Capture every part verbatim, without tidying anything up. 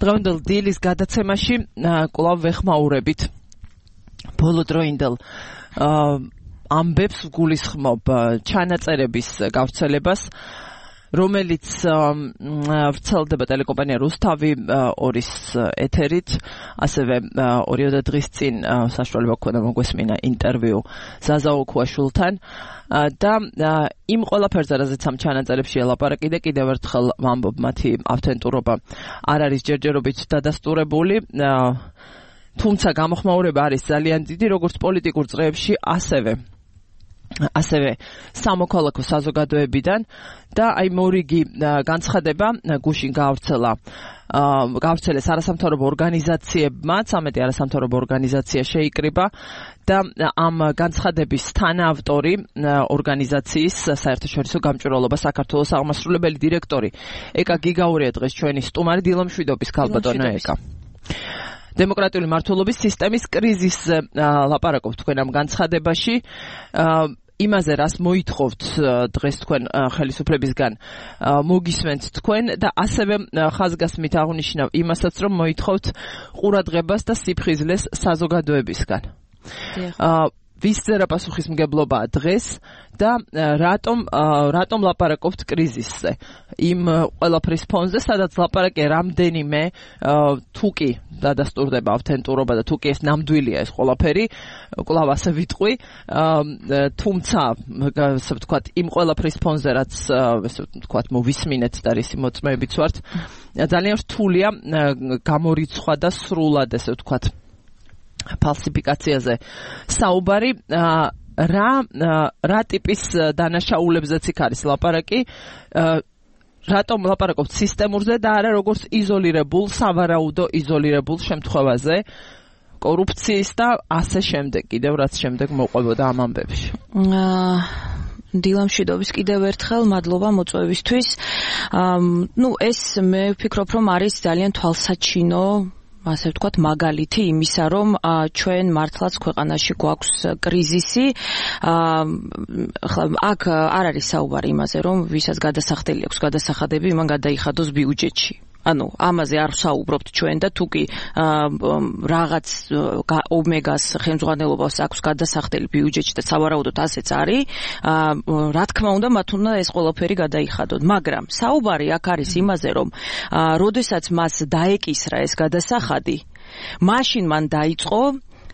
დღევანდელ დილის გადაცემაში კვლავ ვეხმაურებით ბოლოდროინდელ ამბებს გულისხმობ ჩანაწერების გავრცელებას, რომელიც ვრცელდება ტელეკომპანია რუსთავი ორის ეთერით, ასევე ორიოდე დღის წინ საშუალება გქონდა მოგვესმინა ინტერვიუ ზაზა ოქუაშვილთან და იმ ყველაფერზე, რაზეც ამ ჩანაწერებში ელაპარაკი და კიდევ ერთხელ ვამბობ, მათი ავთენტურობა არ არის ჯერჯერობით დადასტურებული, თუმცა გამოხმაურება არის ძალიან დიდი, როგორც პოლიტიკურ წრეებში, ასევე ასევე სამოქალაქო საზოგადოებიდან და აი მორიგი განცხადება გუშინ გავრცელა გავრცელეს არასამთავრობო ორგანიზაციებმაც, ამეთი არასამთავრობო ორგანიზაცია შეიკრიბა და ამ განცხადების თანაავტორი ორგანიზაციის საერთაშორისო გამჭვირვალობა საქართველოს აღმასრულებელი დირექტორი ეკა გიგაურია დღეს ჩვენი სტუმარი. დილამშვიდობის ქალბატონო ეკა. დემოკრატიული მართლობის სისტემის კრიზისზე ლაპარაკობთ თქვენ ამ განცხადებაში. იმაზე, რას მოითხოვთ დღეს თქვენ ხელისუფლებისგან, მოგისმენთ თქვენ და ასევე ხაზგასმით აღნიშნავ იმასაც, რომ მოითხოვთ ყურადღებას და სიფხიზლეს საზოგადოებისგან. ვისწერა პასუხისმგებლობაა დღეს და რატომ რატომ ლაპარაკობთ კრიზისზე? იმ ყველაფრის ფონზე, სადაც ლაპარაკია რამდენიმე თუკი დადასტურდება ავთენტურობა და თუკი ეს ნამდვილია ეს ყველაფერი, კვლავ ასე ვიტყვი, თუმცა ასე ვთქვათ, იმ ყველაფრის ფონზე, რაც ასე ვთქვათ, მოვისმინეთ და რისი მოწმეებიც ვართ, ძალიან რთულია გამორიცხვა და სრულად ასე ვთქვათ ფალსიფიკაციაზე საუბარი. რა რა ტიპის დანაშაულებზეც იქ არის ლაპარაკი, რატომ ლაპარაკობთ სისტემურზე და არა როგორც იზოლირებულ, სავარაუდო იზოლირებულ შემთხვევაზე კორუფციის და ასე შემდეგ, კიდევ რაც შემდეგ მოყვებოდა ამ ამბებში. დილამშვიდობის კიდევ ერთხელ, მადლობა მოწვევისთვის. ნუ ეს მე ვფიქრობ, რომ არის ძალიან თვალსაჩინო, ასე ვთქვათ, მაგალითი იმისა, რომ ჩვენ მართლაც ქვეყანაში გვაქვს კრიზისი. აქ არ არის საუბარი იმაზე, რომ ვისაც გადასახდელი აქვს გადასახადები, იმან გადაიხადოს ბიუჯეტში. ანუ ამაზე არ ვსაუბრობთ ჩვენ და თუკი რაღაც ომეგას ხელმძღვანელობას აქვს გადასახდელი ბიუჯეტში და სავარაუდოდ ასეც არის, რა თქმა უნდა მათ უნდა ეს ყველაფერი გადაიხადოთ. მაგრამ საუბარი აქ არის იმაზე, რომ როდესაც მას დაეკისრა ეს გადასახადი, მაშინ მან დაიწყო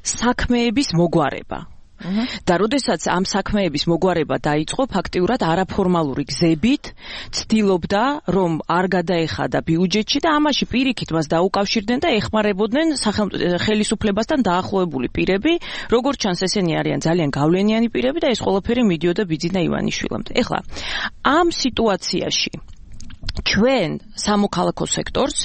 საქმეების მოგვარება. და როდესაც ამ საქმეების მოგვარება დაიწყო, ფაქტიურად არაფორმალური გზებით ცდილობდა, რომ არ გადაეხადა ბიუჯეტში და ამაში პირიქით მას დაუკავშირდნენ და ეხმარებოდნენ ხელისუფლებასთან დაახლოებული პირები, როგორც ჩანს ესენი არიან ძალიან გავლენიანი პირები და ეს ყველაფერი მიდიოდა ბიძინა ივანიშვილამდე. ეხლა ამ სიტუაციაში ჩვენ სამოქალაქო სექტორს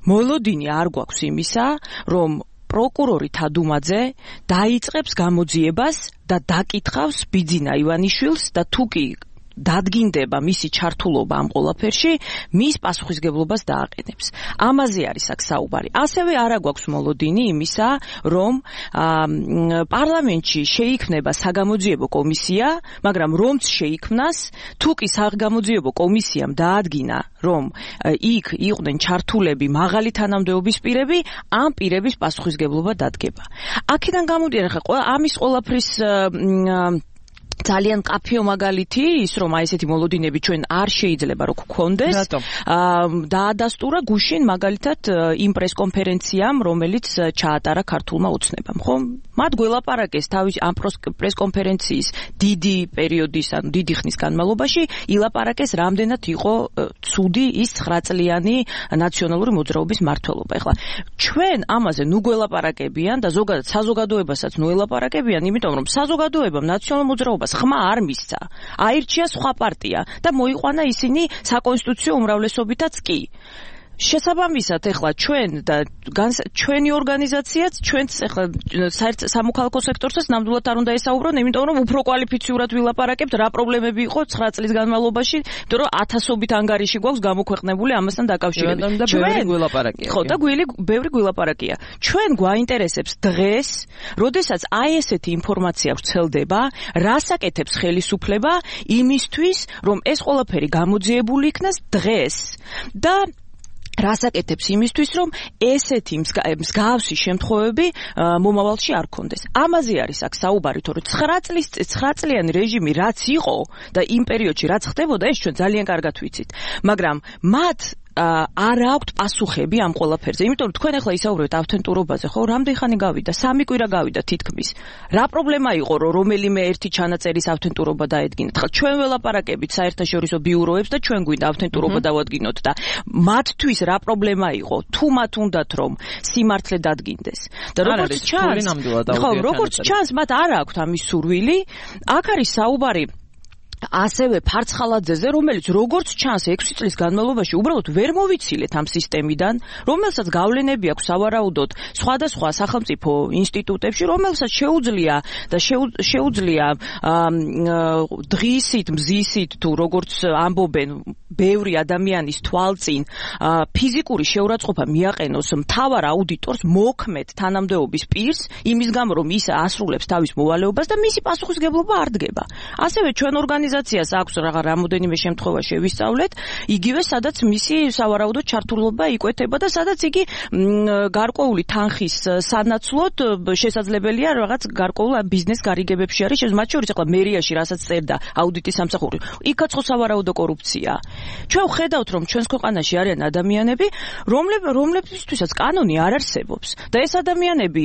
მოლოდინი არ გვაქვს იმისა, რომ პროკურორი თადუმაძე დაიწყებს გამოძიებას და დაკითხავს ბიძინა ივანიშვილს და თუკი დადგინდება მისი ჩართულობა ამ ყველაფერში, მის პასუხისგებლობას დააყენებს. ამაზე არის აქ საუბარი. ასევე არა გვაქვს მოლოდინი იმისა, რომ პარლამენტში შეიქმნება საგამოძიებო კომისია, მაგრამ რომც შეიქმნას, თუკი საგამოძიებო კომისიამ დაადგინა, რომ იქ იყვნენ ჩართულები მაღალი თანამდებობის პირები, ამ პირების პასუხისგებლობა დადგება. აქედან გამოდიან ახლა ამის ყველაფრის ძალიან კაფეო მაგალითი ის, რომ აი ესეთი მოლოდინები ჩვენ არ შეიძლება რომ გქონდეს. დაადასტურა გუშინ მაგალითად იმ პრესკონფერენციამ, რომელიც ჩაატარა ქართულმა ოცნებამ, ხო? მათ გველაპარაკეს თავის ამ პრესკონფერენციის დიდი პერიოდის, ანუ დიდი ხნის განმავლობაში ილაპარაკეს, რამდენად იყო ცუდი ის ცხრა წლიანი ნაციონალური მოძრაობის მმართველობა. ეხლა ჩვენ ამაზე ნუ გველაპარაკებიან და ზოგადად საზოგადოებასაც ნუ ელაპარაკებიან, იმიტომ რომ საზოგადოებამ ნაციონალურ მოძრაობას ხმა არ მისცა. აირჩია სხვა პარტია და მოიყვანა ისინი საკონსტიტუციო უმრავლესობითაც კი. შესაბამისად, ეხლა ჩვენ და ჩვენი ორგანიზაციაც ჩვენც ეხლა სამოქალაქო სექტორსაც ნამდვილად არ უნდა ესაუბრონ, იმიტომ რომ უფრო კვალიფიციურად ვილაპარაკებთ, რა პრობლემები იყო ცხრა წლის განმავლობაში, იმიტომ რომ ათასობით ანგარიში გვაქვს გამოქვეყნებული ამასთან დაკავშირებით. ჩვენ გვილაპარაკია. ხო, და გვილი ბევრი გვილაპარაკია. ჩვენ გვაინტერესებს დღეს, როდესაც აი ესეთი ინფორმაცია ვრცელდება, რას აკეთებს ხელისუფლება იმისთვის, რომ ეს ყველაფერი გამოძიებული იქნას დღეს და რასაკეთებს იმისთვის, რომ ესეთი მსგავსი შემთხვევები მომავალში არ ქონდეს. ამაზე არის აქ საუბარი, თორე ცხრა წლიანი რეჟიმი რაც იყო და იმ პერიოდში რაც ხდებოდა, ეს ჩვენ ძალიან კარგად ვიცით. მაგრამ მათ არ აქვთ პასუხები ამ ყველაფერზე. იმიტომ რომ თქვენ ახლა ისაუბრებთ ავთენტურობაზე, ხო? რამდენი ხანი გავიდა? სამი კვირა გავიდა თითქმის. რა პრობლემა იყო, რომ რომელიმე ერთი ჩანაწერის ავთენტურობა დაედგინათ? ხა ჩვენ ველაპარაკებით საერთაშორისო ბიუროებს და ჩვენ გვინდა ავთენტურობა დავადგინოთ და მათთვის რა პრობლემა იყო? თუ მათ უნდათ რომ სიმართლე დადგინდეს. და როგორც ჩანს, ხო, როგორც ჩანს, მათ არ აქვთ ამის სურვილი. აქ არის საუბარი ასევე ფარცხალაძეზე, რომელიც როგორც ჩანს ექვსი წლის განმავლობაში უბრალოდ ვერ მოვიცილეთ ამ სისტემიდან, რომელსაც გავლენები აქვს სავარაუდოდ სხვადასხვა სახელმწიფო ინსტიტუტებში, რომელსაც შეუძლია და შეუძლია დღისით, მზისით თუ როგორც ამბობენ ბევრი ადამიანის თვალწინ ფიზიკური შეურაცხყოფა მიაყენოს მთავარ აუდიტორს მოქმედ თანამდებობის პირს, იმის გამო რომ ის ასრულებს თავის მოვალეობას და მისი პასუხისმგებლობა არ დგება. ასევე ჩვენ ორგანიზაციას აქვს რაღა რამოდენიმე შემთხვევა შევისწავლეთ, იგივე სადაც მისი სავარაუდოდ ჩართულობა იკვეთება და სადაც იგი გარკვეული თანხის სანაცვლოდ შესაძლებელია რაღაც გარკვეულ ბიზნეს გარიგებებში არის, მათ შორის ახლა მერიაში რასაც წერდა აუდიტის სამსახური, იქაც ხო სავარაუდო კორუფცია. ჩვენ ვხედავთ, რომ ჩვენს ქვეყანაში არიან ადამიანები, რომლებისთვისაც კანონი არ არსებობს და ეს ადამიანები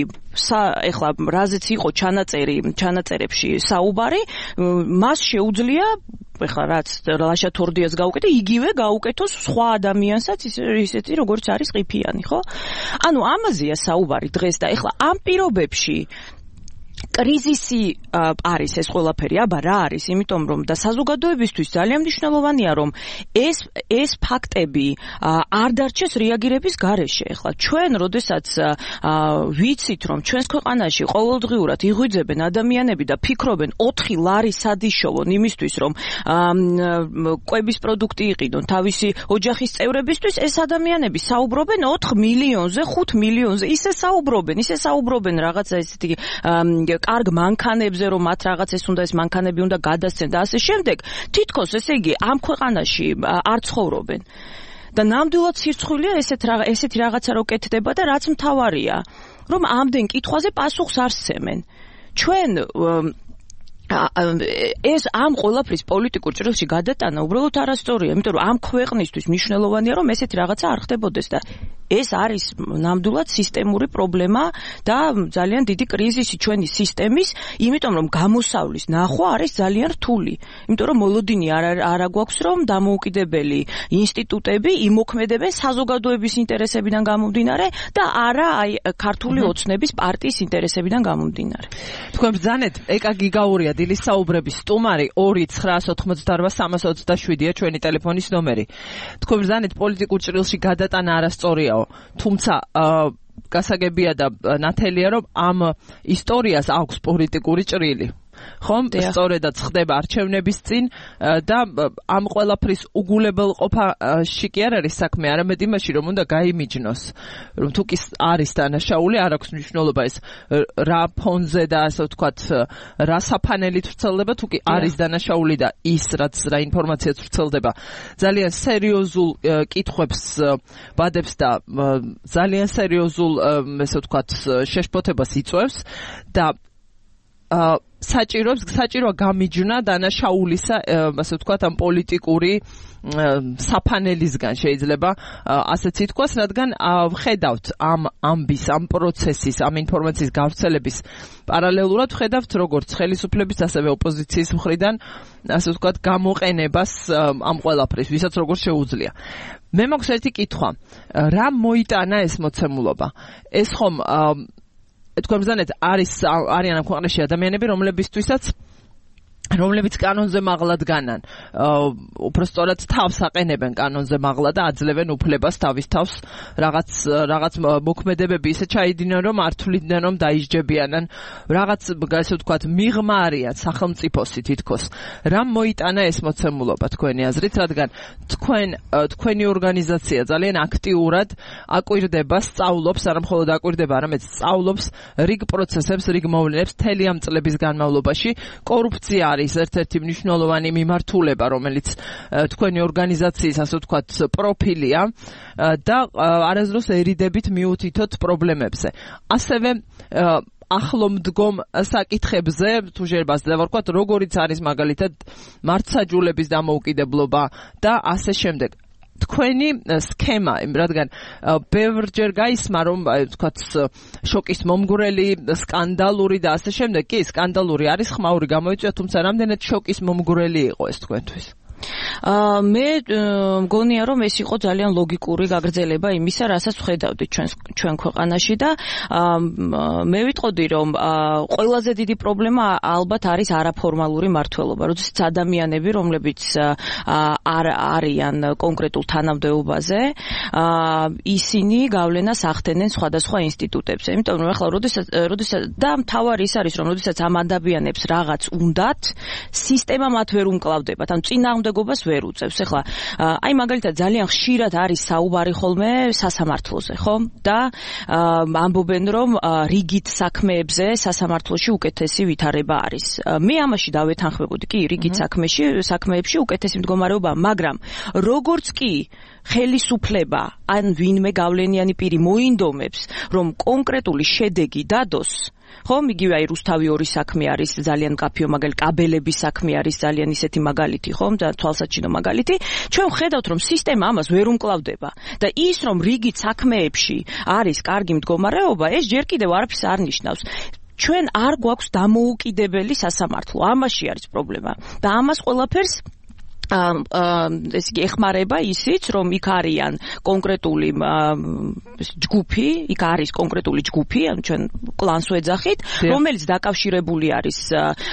ეხლა რაზეც იყო ჩანაწერი, ჩანაწერებში საუბარი, მას შეუძლია ეხლა რაც ლაშა თორდიას გაუკეთე, იგივე გაუკეთოს სხვა ადამიანსაც ისეთი როგორც არის ყიფიანი, ხო? ანუ ამაზეა საუბარი დღეს და ეხლა ამ პირობებში კრიზისი არის ეს ყველაფერი, აბა რა არის, იმიტომ რომ და საზოგადოებისთვის ძალიან მნიშვნელოვანია, რომ ეს ეს ფაქტები არ დარჩეს რეაგირების გარეშე. ეხლა ჩვენ, როდესაც ვიცით, რომ ჩვენს ქვეყანაში ყოველდღიურად იღვიძებენ ადამიანები და ფიქრობენ ოთხი ლარი სად იშოვონ იმისთვის, რომ კვების პროდუქტი იყიდონ თავისი ოჯახის წევრებისთვის, ეს ადამიანები საუბრობენ ოთხ მილიონზე, ხუთ მილიონზე, ისე საუბრობენ, ისე საუბრობენ რაღაცა ესეთი კარგ მანქანებზე, რომ მათ რაღაც ეს უნდა ეს მანქანები უნდა გადასცენ და ასე შემდეგ, თითქოს ესე იგი ამ ქვეყანაში არ ცხოვრობენ. და ნამდვილად სირცხვილია ესეთ ესეთი რაღაცა რო კეთდება და რაც მთავარია, რომ ამდენ კითხვაზე პასუხს არ სცემენ. ჩვენ ეს ამ ყველაფრის პოლიტიკურ ჭრილში გადატანა უბრალოდ არასწორია, იმიტომ რომ ამ ქვეყნისთვის მნიშვნელოვანია, რომ ესეთი რაღაცა არ ხდებოდეს და ეს არის ნამდვილად სისტემური პრობლემა და ძალიან დიდი კრიზისი ჩვენი სისტემის, იმიტომ რომ გამოსავლის ნახვა არის ძალიან რთული. იმიტომ რომ მოლოდინი არ არ აგვაქვს, რომ დამოუკიდებელი ინსტიტუტები იმოქმედებენ საზოგადოების ინტერესებიდან გამომდინარე და არა აი ქართული ოცნების პარტიის ინტერესებიდან გამომდინარე. თქვენ ბრძანეთ ეკა გიგაურია დილის საუბრების სტუმარი ორი ცხრაასი ოთხმოცდაოთხ სამას ოცდაშვიდია ჩვენი ტელეფონის ნომერი. თქვენ ბრძანეთ პოლიტიკურ ჭრილში გადატანა არასწორია, თუმცა გასაგებია და ნათელია, რომ ამ ისტორიას აქვს პოლიტიკური ჭრილი. ხომ? სწორედაც ხდება არჩევნების წინ და ამ ყველაფრის უგულებელყოფაში კი არ არის საქმე, არამედ იმაში, რომ უნდა გაიმიჯნოს, რომ თუ კი არის დანაშაული, არ აქვს მნიშვნელობა ეს რა ფონზე და ასე ვთქვათ, რა საფანელით ვრცელდება, თუ კი არის დანაშაული და ის რაც რა ინფორმაციაც ვრცელდება, ძალიან სერიოზულ კითხვებს ბადებს და ძალიან სერიოზულ, ესე ვთქვათ, შეშფოთებას იწვევს და საჭიროებს საჭიროა გამიჯნა დანაშაულისა, ასე ვთქვათ, ამ პოლიტიკური საფანელისგან შეიძლება ასეც ითქვას, რადგან ვხედავთ ამ ამბის, ამ პროცესის, ამ ინფორმაციის გავრცელების პარალელურად ვხედავთ როგორც ხელისუფლების, ასევე ოპოზიციის მხრიდან, ასე ვთქვათ, გამოყენებას ამ ყველაფრის, ვისაც როგორ შეუძლია. მე მაქვს ერთი კითხვა, რა მოიტანა ეს მოცემულობა? ეს ხომ თქვენ ბრძანეთ არის არიან ამ ქვეყანაში ადამიანები, რომლებისთვისაც რომლებიც კანონზე მაღლა დგანან, უფრო სწორად თავს აყენებენ კანონზე მაღლა და აძლევენ უფლებას თავის თავს რაღაც რაღაც მოქმედებები ისე ჩაიდინონ, რომ არ თვლიდნენ, რომ დაისჯებიანან, რაღაც ასე ვთქვათ, მიღმა არიან სახელმწიფოსი თითქოს. რა მოიტანა ეს მოცემულობა თქვენი აზრით, რადგან თქვენ თქვენი ორგანიზაცია ძალიან აქტიურად აკვირდება, სწავლობს, არა მხოლოდ აკვირდება, არამედ სწავლობს რიგ პროცესებს, რიგ მოვლენებს მთელი ამ წლების განმავლობაში. კორუფცია არის ერთ-ერთი მნიშვნელოვანი მიმართულება, რომელიც თქვენი ორგანიზაციის, ასე ვთქვათ, პროფილია და არასდროს ერიდებით მიუთითოთ პრობლემებზე. ასევე ახლო მდგომ საკითხებზე, თუ შეიძლება დავარქვათ, როგორიც არის მაგალითად მართლმსაჯულების დამოუკიდებლობა და ასე შემდეგ. თქვენი სქემა, რადგან ბევრჯერ გაისმა, რომ ვთქვათ, შოკის მომგვრელი, სკანდალური და ასე შემდეგ, კი, სკანდალური არის, ხმაური გამოიწვია, თუმცა რამდენად შოკის მომგვრელი იყო ეს თქვენთვის? მე მგონია რომ ეს იყო ძალიან ლოგიკური გაგრძელება იმისა, რასაც ვხედავდით ჩვენ ჩვენ ქვეყანაში და მე ვიტყოდი რომ ყველაზე დიდი პრობლემა ალბათ არის არაფორმალური მმართველობა, როდესაც ადამიანები, რომლებიც არ არიან კონკრეტულ თანამდებობაზე, ისინი გავლენას ახდენენ სხვადასხვა ინსტიტუტებზე. იმიტომ რომ ახლა როდესაც როდესაც და მთავარი ის არის რომ როდესაც ამ ადამიანებს რაღაც უნდათ, სისტემა მათ ვერ უმკლავდებათ, ან წინააღმდეგობას ვერ უწევს. ეხლა აი მაგალითად ძალიან ხშირად არის საუბარი ხოლმე სასამართლოზე, ხო? და ამბობენ რომ რიგით საქმეებზე სასამართლოში უკეთესი ვითარება არის. მე ამაში დავეთანხმებოდი, კი, რიგით საქმეში, საქმეებში უკეთესი მდგომარეობა, მაგრამ როგორც კი ხელისუფლება ან ვინმე გავლენიანი პირი მოინდომებს, რომ კონკრეტული შედეგი დადოს, ხომ, იგივე აი რუსთავი ორი საქმე არის ძალიან მკაფიო მაგალითი, კაბელების საქმე არის ძალიან ისეთი მაგალითი, ხომ, და თვალსაჩინო მაგალითი, ჩვენ ვხედავთ რომ სისტემა ამას ვერ უმკლავდება და ის რომ რიგით საქმეებში არის კარგი მდგომარეობა, ეს ჯერ კიდევ არაფერს არ ნიშნავს. ჩვენ არ გვაქვს დამოუკიდებელი სასამართლო, ამაში არის პრობლემა და ამას ყველაფერს ეს იგი ეხმარება ისიც, რომ იქ არიან კონკრეტული ჯგუფი, იქ არის კონკრეტული ჯგუფი, ანუ ჩვენ კლანს ვეძახით, რომელიც დაკავშირებული არის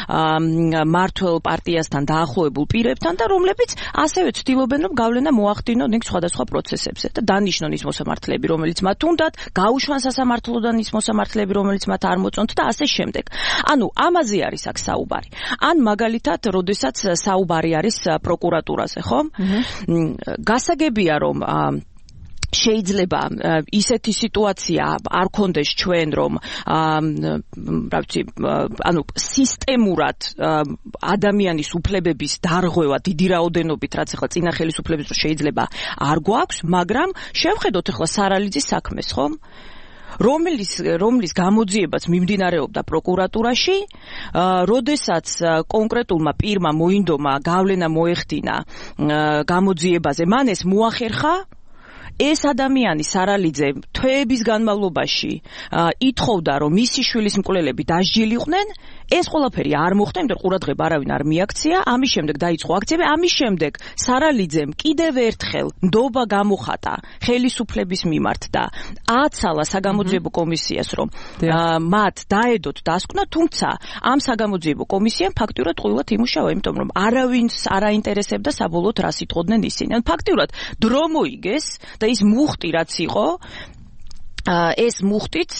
მმართველ პარტიასთან დაახლოებულ პირებთან და რომლებიც ასევე ცდილობენ, რომ გავლენა მოახდინონ იქ სხვადასხვა პროცესებზე და დანიშნონ ის მოსამართლეები, რომელიც მათ უნდათ, გაუშვან სასამართლოდან ის მოსამართლეები, რომელიც მათ არ მოწონთ და ასე შემდეგ. ანუ ამაზე არის აქ საუბარი. ან მაგალითად, როდესაც საუბარი არის პროკურატურაზე, ხო? გასაგებია რომ შეიძლება ისეთი სიტუაცია არ კონდეს ჩვენ რომ რა ვიცი ანუ სისტემურად ადამიანის უფლებების დარღვევა დიდი რაოდენობით რაც ახლა წინა ხელისუფლების რო შეიძლება არ გვაქვს, მაგრამ შევხედოთ ახლა სარალიძის საქმეს, ხო? რომლის რომლის გამოძიებაც მიმდინარეობდა პროკურატურაში, როდესაც კონკრეტულმა პირმა მოინდომა გავლენა მოეხდინა გამოძიებაზე, მან ეს მოახერხა, ეს ადამიანი სარალიძე თვეების განმავლობაში ითხოვდა, რომ მისი შვილის მკვლელები დასჯილიყვნენ, ეს ყველაფერი არ მოხდა, იმიტომ ყურადღება არავინ არ მიაქცია, ამის შემდეგ დაიწყო აქციები, ამის შემდეგ სარალიძემ კიდევ ერთხელ ნდობა გამოხატა ხელისუფლების მიმართ და აცალა საგამოძიებო კომისიას, რომ მათ დაედოთ დასკვნა, თუმცა ამ საგამოძიებო კომისიამ ფაქტიურად ყვილად იმუშავა, იმიტომ რომ არავინს არ აინტერესებდა საბოლოოდ რას იტყოდნენ ისინი. ან ფაქტიურად დრო მოიგეს და ის მუხტი რაც იყო, ეს მუხტიც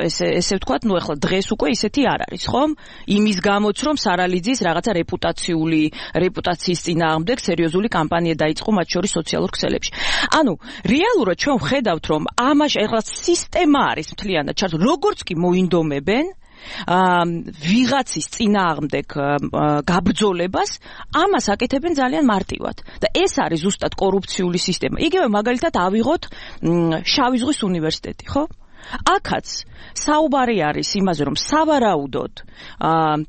ესე ესე ვთქვათ, ნუ ახლა დღეს უკვე ისეთი არ არის, ხომ? იმის გამოც რომ სარალიძის რაღაცა რეპუტაციული რეპუტაციის წინააღმდეგ სერიოზული კამპანია დაიწყო მათ შორის სოციალურ ქსელებში. ანუ რეალურად ჩვენ ვხედავთ რომ ამაში ახლა სისტემა არის მთლიანად ჩართული, როგორც კი მოინდომებენ ვიღაცის წინააღმდეგ გაბრძოლებას, ამას აკეთებენ ძალიან მარტივად. და ეს არის ზუსტად კორუფციული სისტემა. იგივე მაგალითად ავიღოთ შავი ზღვის უნივერსიტეტი, ხო? აქაც საუბარი არის იმაზე, რომ სავარაუდოდ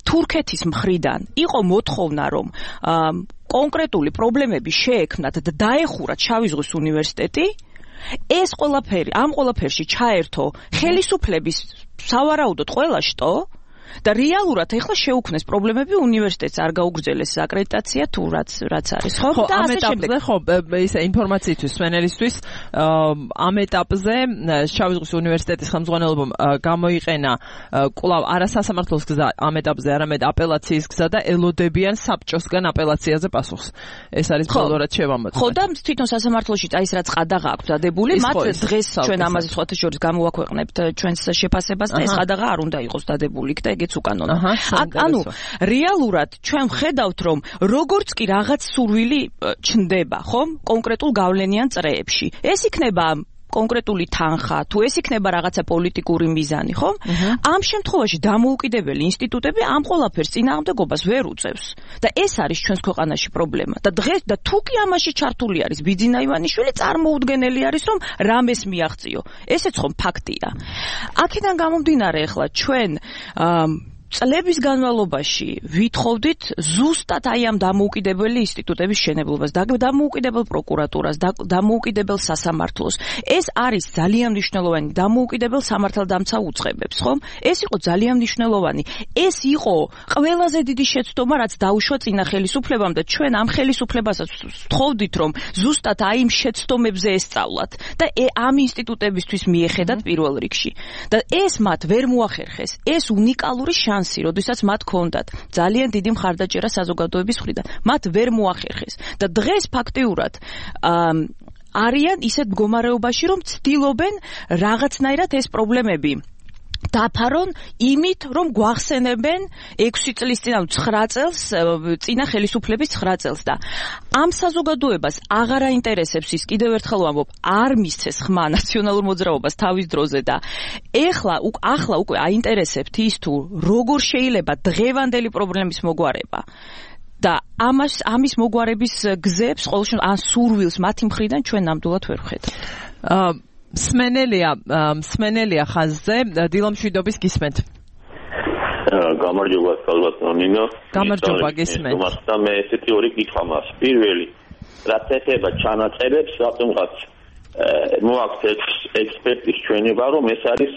თურქეთის მხრიდან იყო მოთხოვნა, რომ კონკრეტული პრობლემები შეექმნათ და დაეხურათ შავი ზღვის უნივერსიტეტი, ეს ყველაფერი, ამ ყველაფერში ჩაერთო ხელისუფლების სავარაუდოდ ყველა შტო და რეალურად ეხლა შეუქმნეს პრობლემები უნივერსიტეტს არ გაუგრძელეს აკრედიტაცია თუ რაც რაც არის, ხო? და ამ ეტაპზე ხო ისე ინფორმაციისთვის სვენელისთვის ამ ეტაპზე შავი ზღვის უნივერსიტეტის ხელმძღვანელობამ გამოიყენა კვლავ არასასამართლოს გზა ამ ეტაპზე, არამედ აპელაციის გზა და ელოდებიან საბჭოსგან აპელაციაზე პასუხს. ეს არის բոլო რაც შევამოწმეთ. ხო და თვითონ სასამართლოში აი ეს რაც ყადაღა აქვს დადებული, მათ დღეს ჩვენ ამაზე სხვათა შორის გამოვაქვეყნებთ ჩვენს შეფასებას და ეს ყადაღა არ უნდა იყოს დადებული და ეგეც უკანონო. ანუ რეალურად ჩვენ ვხედავთ რომ როგორც კი რაღაც სურვილი ჩნდება, ხომ? კონკრეტულ გავლენიან წრეებში. ეს იქნება კონკრეტული თანხა, თუ ეს იქნება რაღაცა პოლიტიკური მიზანი, ხო? ამ შემთხვევაში დამოუკიდებელი ინსტიტუტები ამ ყველაფერს წინააღმდეგობას ვერ უწევს. და ეს არის ჩვენს ქვეყანაში პრობლემა. და დღეს და თუ კი ამაში ჩართული არის ბიძინა ივანიშვილი, წარმოუდგენელი არის რომ რამეს მიაღწიო. ესეც ხომ ფაქტია. აქედან გამომდინარე ახლა ჩვენ წლების განმავლობაში ვითხოვდით ზუსტად აი ამ დამოუკიდებელი ინსტიტუტების შენებლობას, დამოუკიდებელ პროკურატურას, დამოუკიდებელ სასამართლოს. ეს არის ძალიან მნიშვნელოვანი დამოუკიდებელ სამართალდამცა უწყებებს, ხო? ეს იყო ძალიან მნიშვნელოვანი. ეს იყო ყველაზე დიდი შეცდომა, რაც დაუშვა წინა ხელისუფლებამ და ჩვენ ამ ხელისუფლებასაც ვთხოვდით, რომ ზუსტად აი იმ შეცდომებზე ესწავლათ და ამ ინსტიტუტებისთვის მიეხედათ პირველ რიგში. და ეს მათ ვერ მოახერხეს. ეს უნიკალური შანსი, როდესაც მათ ჰქონდათ ძალიან დიდი მხარდაჭერა საზოგადოების მხრიდან, მათ ვერ მოახერხეს. და დღეს ფაქტიურად არიან ისეთ მდგომარეობაში, რომ ცდილობენ რაღაცნაირად ეს პრობლემები დაფარონ იმით, რომ გვახსენებენ ექვსი წლის წინ, ანუ ცხრა წელს, წინა ხელისუფლების ცხრა წელს და ამ საზოგადოებას აღარ აინტერესებს ის, კიდევ ერთხელ ვამბობ, არ მისცეს ხმა ნაციონალურ მოძრაობას თავის დროზე და ეხლა ახლა უკვე აინტერესებთ ის თუ როგორ შეიძლება დღევანდელი პრობლემის მოგვარება და ამას ამის მოგვარების გზებს ყოველ შემთხვევაში ან სურვილს მათი მხრიდან ჩვენ ნამდვილად ვერ ვხედავთ. მსმენელია მსმენელია ხაზზე დილო მშვიდობის გისმენთ. გამარჯობა ქალბატონო ნინო. გამარჯობა გისმენთ. და მე ესეთი ორი კითხვა მაქვს. პირველი, რაც ეხება ჩანაწერებს, რატომღაც მოაქვს ექსპერტის ჩვენება, რომ ეს არის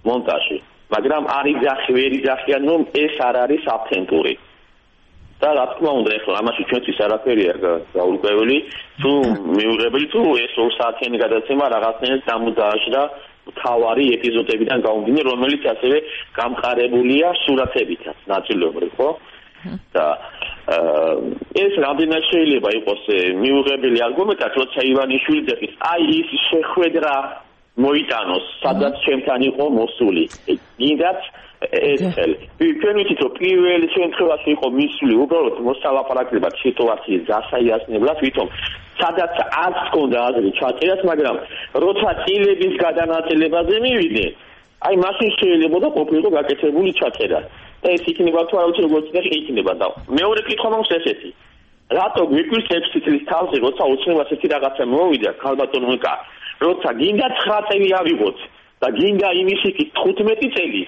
მონტაჟი. მაგრამ არ იძახი, ვერ იძახიან, რომ ეს არ არის ავთენტური. და რა თქმა უნდა, ეხლა ამაში ჩვენთვის არაფერი არ გაურკვეველი, თუ მიუღებელი თუ ეს ორ საათიანი გადაცემა რაღაცნაირად დამუდააშდა თავარი ეპიზოდებიდან გამომდინარე, რომელიც ასევე გამყარებულია სურათებითაც ნაწილობრივ, ხო? და ეს რამდენად შეიძლება იყოს მიუღებელი არგუმენტად, როცა ივანიშვილი ძეხის, აი ის შეხვედრა მოიტანოს, სადაც ჩემთან იყო მოსული. გინდათ ერთხელ. ჩვენ ვიცით, რომ პირველ შემთხვევაში იყო მისული უბრალოდ მოსალაპარაკებლად სიტუაციის დასაიასნებლად, ვითომ სადაც არ ჰქონდა აზრი ჩაწერას, მაგრამ როცა წილების გადანაწილებაზე მივიდნენ, აი მაშინ შეიძლება ყოფილიყო გაკეთებული ჩაწერა. და ეს იქნება თუ არა ვიცი როგორც წინაშე იქნება და მეორე კითხვა მაქვს ესეთი. რატო გვიკვირს ექვსი წლის თავზე, როცა ოცნებას ერთი რაღაცა მოვიდა, ქალბატონო ეკა, როცა გინდა ცხრა წელი ავიღოთ და გინდა იმისი კი თხუთმეტი წელი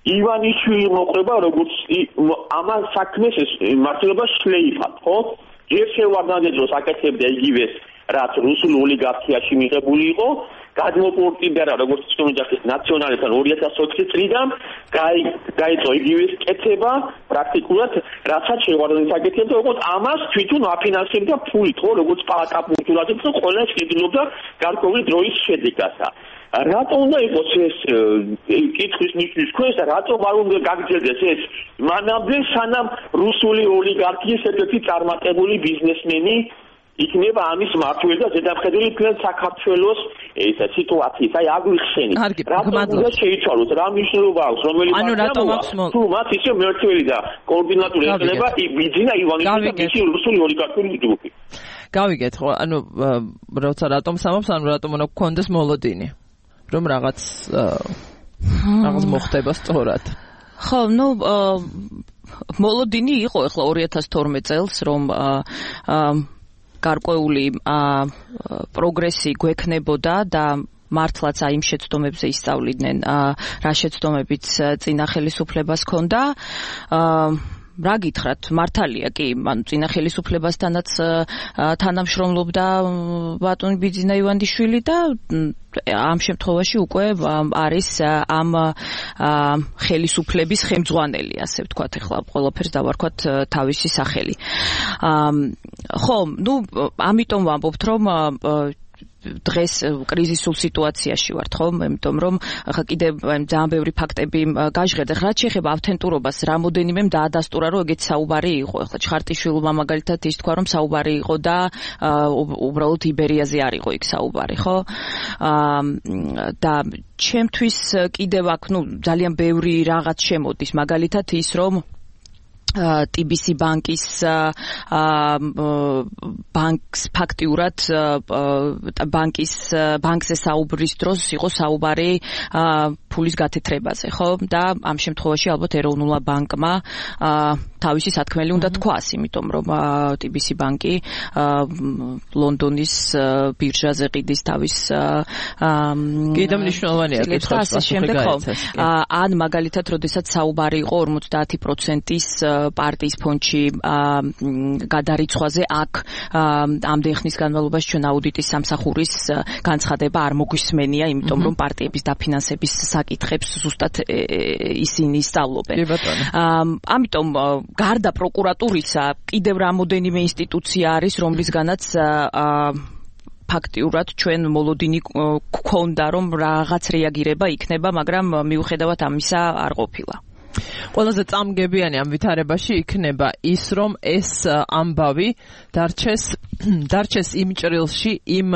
ივანიშვილი მოყვება, როგორც ამან საქმეს მართლობა შლეიფად, ხო? ჯერ შევარდნადი დროს აკეთებდა იგივეს, რაც რუსულ ოლიგარქიაში მიღებული იყო, გადმოპორტირდა როგორც თუნდაც ნაციონალისთან ორი ათას ოთხი წლიდან, გაიწო იგივეს კეთება პრაქტიკულად, რასაც შევარდნადი აკეთებდა, როგორც ამას თვითონ აფინანსებდა ფულით, ხო, როგორც პაკაპურტულადებს, ყველა შეძლობდა გარკვეული დროის შედეგასა. რატომ უნდა იყოს ეს კითხვის ნიშნის ქვეშ და რატომ არ უნდა გაგრძელდეს ეს მანამდე სანამ რუსული ოლიგარქიის ერთ-ერთი წარმატებული ბიზნესმენი იქნება ამის მმართველი და ზედამხედველი მთელ საქართველოს ეს სიტუაციის აი აგვიხსენით რატომ უნდა შეიცვალოს რა მნიშვნელობა აქვს რომელი მართლობა თუ მათ ისე მმართველი და კოორდინატორი ექნება ბიძინა ივანიშვილი და მისი რუსული ოლიგარქიული ჯგუფი გავიგეთ ხო ანუ როცა რატომ სამობს ანუ რატომ უნდა გქონდეს მოლოდინი რომ რაღაც რაღაც მოხდება სწორად. ხო, ну მოლოდინი იყო ახლა ორი ათას თორმეტ წელს, რომ გარკვეული პროგრესი გვექნებოდა და მართლაც აი იმ შეცდომებზე ისწავლიდნენ, რა შეცდომებიც წინა ხელისუფლებას ჰქონდა. რა გითხრათ, მართალია კი, ანუ წინა ხელისუფლებასთანაც თანამშრომლობდა ბატონი ბიძინა ივანიშვილი და ამ შემთხვევაში უკვე არის ამ ხელისუფლების ხელმძღვანელი, ასე ვთქვათ, ახლა ყველაფერს დავარქვათ თავისი სახელი. ხო, ну, ამიტომ ვამბობთ, რომ დღეს კრიზისულ სიტუაციაში ვართ, ხო? იმიტომ რომ ახლა კიდევ ძალიან ბევრი ფაქტები გაჟღერდა. რაც შეეხება ავთენტურობას, რამოდენიმემ დაადასტურა, რომ ეგეც საუბარი იყო. ახლა ჩხარტიშვილმა მაგალითად ის თქვა, რომ საუბარი იყო და უბრალოდ იბერიაზე არ იყო იქ საუბარი, ხო? და ჩემთვის კიდევ აქ, ну, ძალიან ბევრი რაღაც შემოდის. მაგალითად ის, რომ ტი ბი სი ბანკის ბანკს ფაქტიურად ბანკის ბანკზე საუბრის დროს იყო საუბარი ფულის გათეთრებაზე, ხო? და ამ შემთხვევაში ალბათ ეროვნულა ბანკმა თავისი სათქმელი უნდა თქვას, იმიტომ რომ ტი ბი სი ბანკი ლონდონის ბირჟაზე ყიდის თავის კიდევ მნიშვნელოვანია კითხვა. ან მაგალითად, როდესაც საუბარი იყო ორმოცდაათი პროცენტის პარტიის ფონდში გადარიცხვაზე, აქ ამდენ ხნის განმავლობაში ჩვენ აუდიტის სამსახურის განცხადება არ მოგვისმენია, იმიტომ რომ პარტიების დაფინანსების საკითხებს ზუსტად ისინი სწავლობენ. ამიტომ გარდა პროკურატურისა კიდევ რამოდენიმე ინსტიტუცია არის, რომლისგანაც ფაქტიურად ჩვენ მოლოდინი გვქონდა, რომ რაღაც რეაგირება იქნება, მაგრამ მიუხედავად ამისა არ ყოფილა. ყველაზე წამგებიანი ამ ვითარებაში იქნება ის, რომ ეს ამბავი დარჩეს დარჩეს იმ ჭრილში, იმ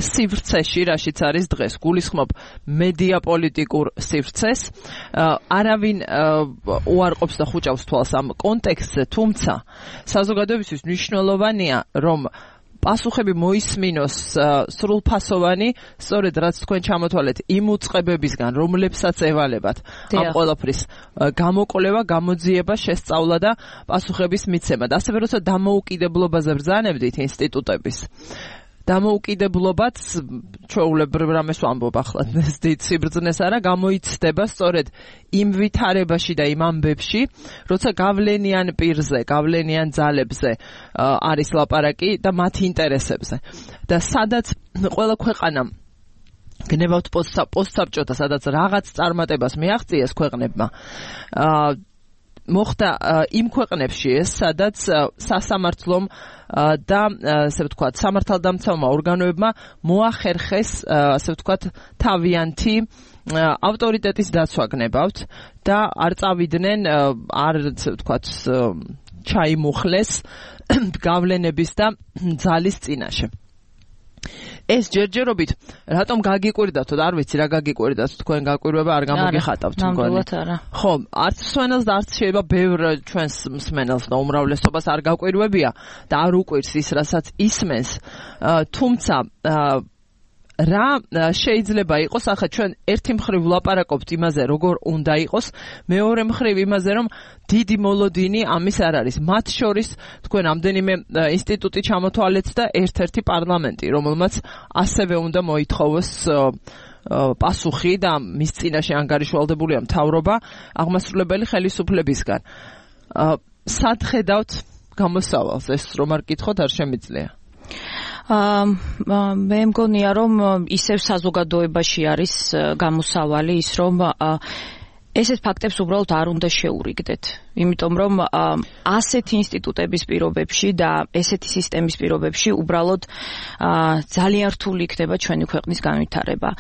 სივრცეში, რაშიც არის დღეს. გულისხმობ მედია პოლიტიკურ სივრცეს. არავინ უარყოფს და ხუჭავს თვალს ამ კონტექსტზე, თუმცა საზოგადოებისთვის მნიშვნელოვანია, რომ პასუხები მოისმინოს სრულფასოვანი, სწორედ რაც თქვენ ჩამოთვალეთ იმ უწყებებისგან, რომლებსაც ევალებათ ამ ყველაფრის გამოკვლევა, გამოძიება, შესწავლა და პასუხების მიცემა. ასევე როცა დამოუკიდებლობაზე ბრძანებდით ინსტიტუტების, დამოუკიდებლობაც ჩვეულებრივ რამეს ვამბობ ახლა დიდ სიბრძნეს არა, გამოიცდება სწორედ იმ ვითარებაში და იმ ამბებში, როცა გავლენიან პირზე, გავლენიან ძალებზე არის ლაპარაკი და მათ ინტერესებზე. და სადაც ყველა ქვეყანამ გნებავთ პოსტსაბჭოთა, სადაც რაღაც წარმატებას მიაღწიეს ქვეყნებმა, მოხდა იმ ქვეყნებში ეს, სადაც სასამართლომ და ასე ვთქვათ, სამართალდამცავმა ორგანოებმა მოახერხეს, ასე ვთქვათ, თავიანთი ავტორიტეტის დაცვა გნებავთ და არ წავიდნენ, არ ასე ვთქვათ, ჩაიმუხლეს გავლენების და ძალის წინაშე. ეს ჯერჯერობით რატომ გაგიკვირდათ, არ ვიცი რა გაგიკვირდათ, თქვენ გაკვირვება არ გამოგიხატავთ მგონი. ხო, არც მსმენელს და არც შეიძლება ბევრ ჩვენს მსმენელს და უმრავლესობას არ გაკვირვებია და არ უკვირს ის, რასაც ისმენს, თუმცა რა შეიძლება იყოს, ახლა ჩვენ ერთი მხრივ ვლაპარაკობთ იმაზე, როგორ უნდა იყოს, მეორე მხრივ იმაზე, რომ დიდი მოლოდინი ამის არ არის. მათ შორის თქვენ ამდენიმე ინსტიტუტი ჩამოთვალეთ და ერთ-ერთი პარლამენტი, რომელმაც ასევე უნდა მოითხოვოს პასუხი და მის წინაშე ანგარიშვალდებულია მთავრობა აღმასრულებელი ხელისუფლებისგან. სად ხედავთ გამოსავალს? ეს რომ არ გკითხოთ არ შემიძლია. მე მგონია, რომ ისევ საზოგადოებაში არის გამოსავალი ის, რომ ესეთ ფაქტებს უბრალოდ არ უნდა შეურიგდეთ. იმიტომ რომ ასეთი ინსტიტუტების პირობებში და ესეთი სისტემის პირობებში უბრალოდ ძალიან რთული იქნება ჩვენი ქვეყნის განვითარება.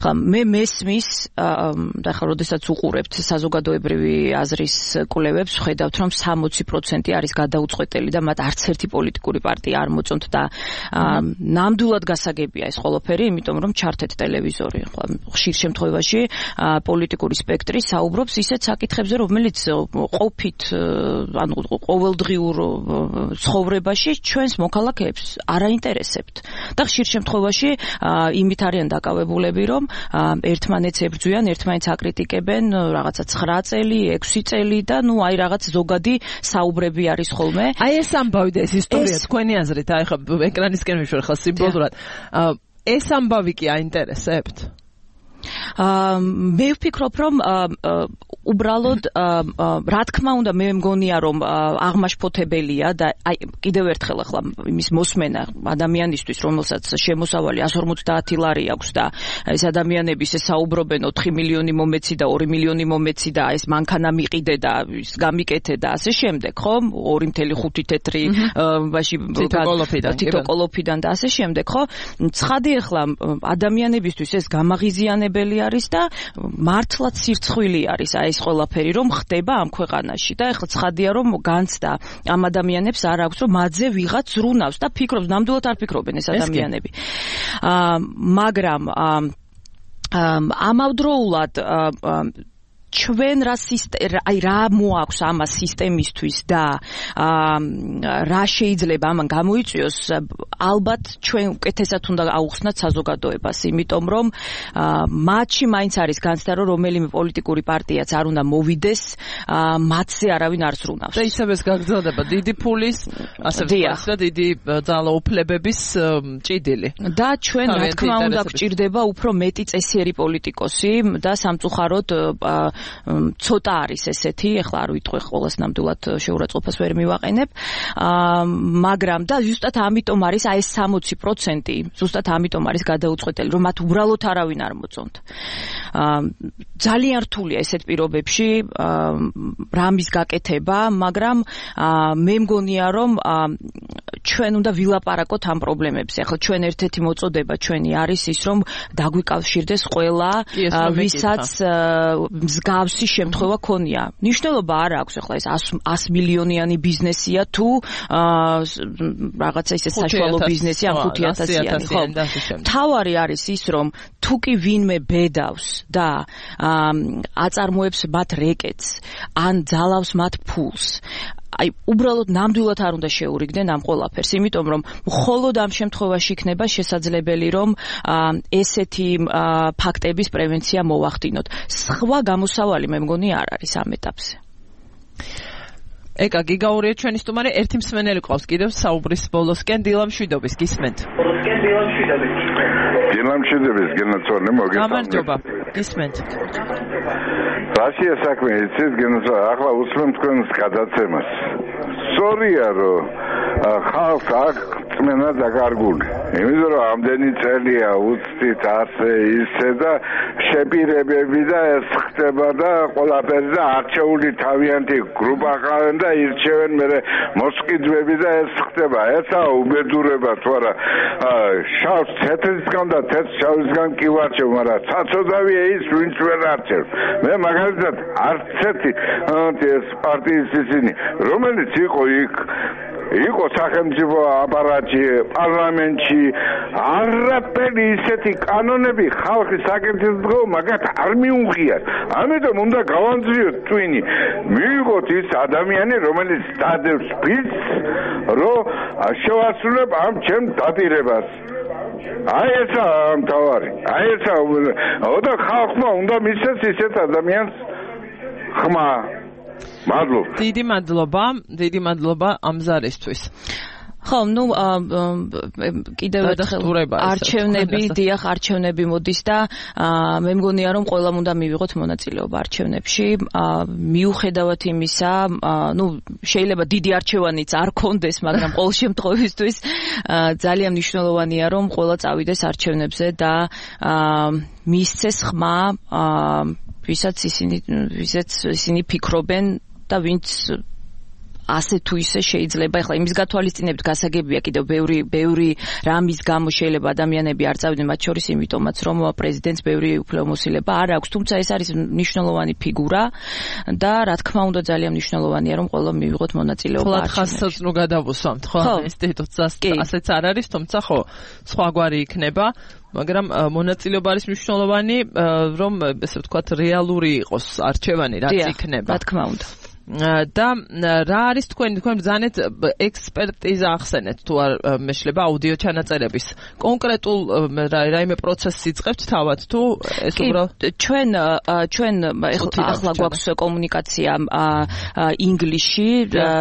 მე მესმის და ახლა როდესაც უყურებთ საზოგადოებრივი აზრის კვლევებს, ხედავთ რომ სამოცი პროცენტი არის გადაუწყვეტელი და მათ არც ერთი პოლიტიკური პარტია არ მოწონთ და ნამდვილად გასაგებია ეს ყველაფერი, იმიტომ რომ ჩართეთ ტელევიზორი. ხშირ შემთხვევაში პოლიტიკური სპექტრი საუბრობს ისეთ საკითხებზე, რომელიც ყოფით ანუ ყოველდღიურ ცხოვრებაში ჩვენს მოქალაქეებს არ აინტერესებთ. და ხშირ შემთხვევაში იმით არიან დაკავებულები, რომ ერთმანეთს ებრძვიან, ერთმანეთს აკრიტიკებენ, რაღაცა ცხრა წელი, ექვსი წელი და ნუ აი რაღაც ზოგადი საუბრები არის ხოლმე. აი ეს ამბავი და ეს ისტორია თქვენი აზრით, აი ხა ეკრანისკენ მიშვერ ხა სიმბოლურად. ეს ამბავი კი აინტერესებთ? მე ვფიქრობ, რომ უბრალოდ რა თქმა უნდა მე მგონია, რომ აღმაშფოთებელია და აი კიდევ ერთხელ ახლა იმის მოსმენა ადამიანისთვის, რომელსაც შემოსავალი εκατს ორმოცდაათი ლარი აქვს და ეს ადამიანები ისე საუბრობენ ოთხი მილიონი მომეცი და ორი მილიონი მომეცი და ეს მანქანა მიყიდე და ის გამიკეთე და ასე შემდეგ, ხო? ორი მთელი ხუთი თეთრი ბაში თითოკოლოფიდან და ასე შემდეგ, ხო? ცხადი ახლა ადამიანებისთვის ეს გამაღიზიანებელი არის და მართლაც სირცხვილი არის აი ეს ყველაფერი რომ ხდება ამ ქვეყანაში და ეხლა ცხადია რომ განცდა ამ ადამიანებს არ აქვს რომ მათზე ვიღაც ზრუნავს და ფიქრობს, ნამდვილად არ ფიქრობენ ეს ადამიანები. მაგრამ ამავდროულად ჩვენ რა აი რა მოაქვს ამას სისტემისთვის და რა შეიძლება ამან გამოიწვიოს, ალბათ ჩვენ უკეთესად უნდა აუხსნათ საზოგადოებას, იმიტომ რომ მათში მაინც არის განცდა, რომ რომელიმე პოლიტიკური პარტიაც არ უნდა მოვიდეს, მათზე არავინ არ ზრუნავს. და ისევ ეს გაგრძელდება დიდი ფულის, ასე ვთქვათ და დიდი ძალაუფლებების ჭიდილი. და ჩვენ რა თქმა უნდა გვჭირდება უფრო მეტი წესიერი პოლიტიკოსი და სამწუხაროდ ცოტა არის ესეთი, ეხლა არ ვიტყვი ყოველს ნამდვილად შეურაცხყოფას ვერ მივაყენებ, მაგრამ და ზუსტად ამიტომ არის აი ეს სამოცი პროცენტი, ზუსტად ამიტომ არის გადაუწყვეტელი, რომ მათ უბრალოდ არავინ არ მოწონთ. ძალიან რთულია ესეთ პირობებში რამის გაკეთება, მაგრამ მე მგონია, რომ ჩვენ უნდა ვილაპარაკოთ ამ პრობლემებზე. ახლა ჩვენ ერთ-ერთი მოწოდება ჩვენი არის ის, რომ დაგვიკავშირდეს ყველა, ვისაც მსგავსი შემთხვევა ქონია. მნიშვნელობა არ აქვს ახლა ეს ას მილიონიანი ბიზნესია თუ რაღაცა ისე საშუალო ბიზნესი ან ხუთი ათასიანი, ხო? თავარი არის ის, რომ თუ კი ვინმე ბედავს და აწარმოებს მათ რეკეტს ან ძალავს მათ ფულს, აი უბრალოდ ნამდვილად არ უნდა შეურიგდნენ ამ ყველაფერს, იმიტომ რომ მხოლოდ ამ შემთხვევაში იქნება შესაძლებელი, რომ ესეთი ფაქტების პრევენცია მოვახდინოთ. სხვა გამოსავალი მე მგონი არ არის ამ ეტაპზე. ეკა გიგაურია ჩვენი სტუმარი, ერთი მსმენელი ყავს კიდევ საუბრის ბოლოსკენ, დილა მშვიდობის, გისმენთ. დილა მშვიდობის, გენაცვალე მოგესალმებით. გამარჯობა, გისმენთ. რაშია საქმე, იცით, გენაცვალე, ახლა უსმენ თქვენს გადაცემას. სწორია, რომ ხალხს აქ წმენა დაკარგული. იმიტომ რომ ამდენი წელია უცდით ასე ისე და შეპირებები და ეს ხდება და ყველაფერი და არჩეული თავიანთი გრუპა ყავენ და ირჩევენ მერე მოსყიდვები და ეს ხდება. ესა უბედურება თუ არა, შავს თეთრისგან და თეთრ შავისგან კი ვარჩევ, მაგრამ საწოდავია ის, ვინც ვერ არჩევს. მე მაგალითად არც ერთი ეს პარტიის ისინი, რომელიც იყო იქ იყო სახელმწიფო აპარატში, პარლამენტში, არაფერი ისეთი კანონები ხალხის საკითხებზე მაგათ არ მიუღიათ. ამიტომ უნდა გავანძლიოთ twin-ი. მიიღოთ ის ადამიანი, რომელიც დადევს ფიცს, რომ შევასრულებ ამ ჩემ დაპირებას. აი ესა მთავარი. აი ესა და ხალხმა უნდა მისცეს ისეთ ადამიანს ხმა. მადლობა. დიდი მადლობა, დიდი მადლობა ამ ზარისთვის. ხო, ნუ კიდევ ერთხელ არჩევნები, დიახ, არჩევნები მოდის და მე მგონია, რომ ყველამ უნდა მივიღოთ მონაწილეობა არჩევნებში. მიუხედავად იმისა, ნუ შეიძლება დიდი არჩევანიც არ კონდეს, მაგრამ ყოველ შემთხვევისთვის ძალიან მნიშვნელოვანია, რომ ყველა წავიდეს არჩევნებზე და მისცეს ხმა, ვისაც ისინი, ვისაც ისინი ფიქრობენ და ვინც ასე თუ ისე შეიძლება. ეხლა იმის გათვალისწინებით გასაგებია კიდევ ბევრი ბევრი რამის გამო შეიძლება ადამიანები არ წავიდნენ, მათ შორის იმიტომაც, რომ პრეზიდენტს ბევრი უფლებამოსილება არ აქვს, თუმცა ეს არის მნიშვნელოვანი ფიგურა და რა თქმა უნდა ძალიან მნიშვნელოვანია, რომ ყველა მივიღოთ მონაწილეობა. ხოლმე ხაზსაც ნუ გადავუსვამთ, ხო? ინსტიტუტს ასეც არ არის, თუმცა ხო, სხვაგვარი იქნება. მაგრამ მონაწილეობა არის მნიშვნელოვანი, რომ ესე ვთქვათ, რეალური იყოს არჩევანი, რაც იქნება. რა თქმა უნდა. და რა არის თქვენი თქვენ ბრძანეთ ექსპერტიზა ახსენეთ თუ არ მეშლება აუდიო ჩანაწერების კონკრეტულ რაიმე პროცესს იწყებთ თავად თუ ეს უბრალოდ ჩვენ ჩვენ ახლა გვაქვს კომუნიკაცია ინგლისში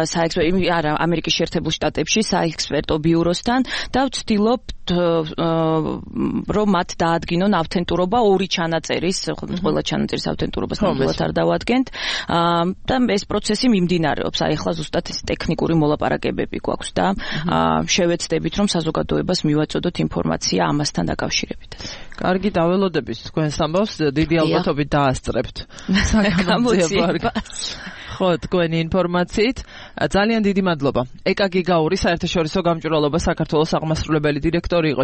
საექსპერტო არა ამერიკის შეერთებულ შტატებში საექსპერტო ბიუროსთან და ვცდილობთ რომ მათ დაადგინონ ავთენტურობა ორი ჩანაწერის ყველა ჩანაწერის ავთენტურობას ნამდვილად არ დავადგენთ და ეს პროცესი მიმდინარეობს. აი ახლა ზუსტად ეს ტექნიკური მოლაპარაკებები გვაქვს და შევეცდებით რომ საზოგადოებას მივაწოდოთ ინფორმაცია ამასთან დაკავშირებით. კარგი, დაველოდებით თქვენს ამბავს, დიდი ალბათობით დაასწრებთ საკამოძიებას. ხო, თქვენი ინფორმაციით ძალიან დიდი მადლობა. ეკა გიგაური საერთაშორისო გამჭვირვალობა საქართველოს აღმასრულებელი დირექტორი იყო.